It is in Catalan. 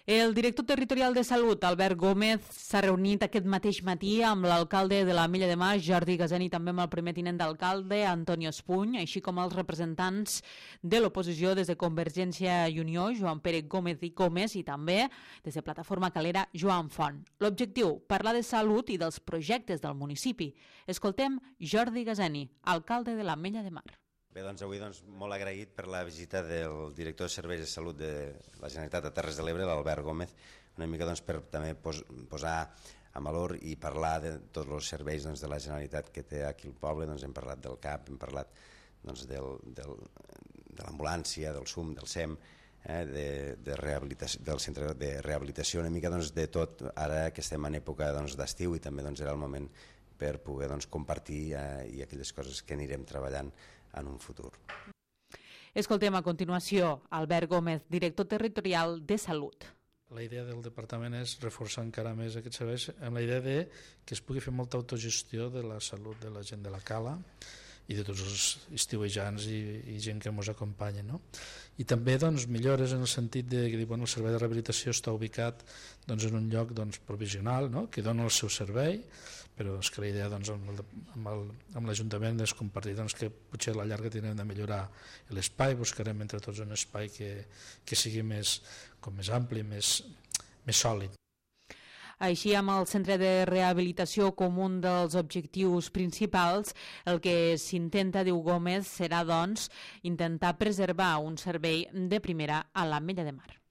El director territorial de Salut, Albert Gómez, s'ha reunit aquest mateix matí amb l'alcalde de l'Ametlla de Mar, Jordi Gaseni, i també amb el primer tinent d'alcalde, Antonio Espuny, així com els representants de l'oposició des de Convergència i Unió, Joan Pere Gómez i Gómez, i també des de Plataforma Calera, Joan Font. L'objectiu, parlar de salut i dels projectes del municipi. Escoltem Jordi Gaseni, alcalde de l'Ametlla de Mar. Bé, doncs avui molt agraït per la visita del director de Serveis de Salut de la Generalitat de Terres de l'Ebre, l'Albert Gómez, una mica per també posar en valor i parlar de tots els serveis de la Generalitat que té aquí el poble. Hem parlat del CAP, hem parlat de l'ambulància, del SUM, del SEM, del centre de rehabilitació, una mica de tot, ara que estem en època d'estiu i també era el moment per poder compartir i aquelles coses que anirem treballant en un futur. Escoltem a continuació Albert Gómez, director territorial de Salut. La idea del departament és reforçar encara més aquests serveis amb la idea que es pugui fer molta autogestió de la salut de la gent de la Cala i de tots els estiuejants i gent que ens acompanya, no? I també millores en el sentit que el servei de rehabilitació està ubicat en un lloc provisional, no? Que dona el seu servei, però és que la idea amb l'Ajuntament és compartir que potser a la llarga tindrem de millorar l'espai, buscarem entre tots un espai que sigui més ampli, més sòlid. Així, amb el centre de rehabilitació com un dels objectius principals, el que s'intenta, diu Gómez, serà, intentar preservar un servei de primera a l'Ametlla de Mar.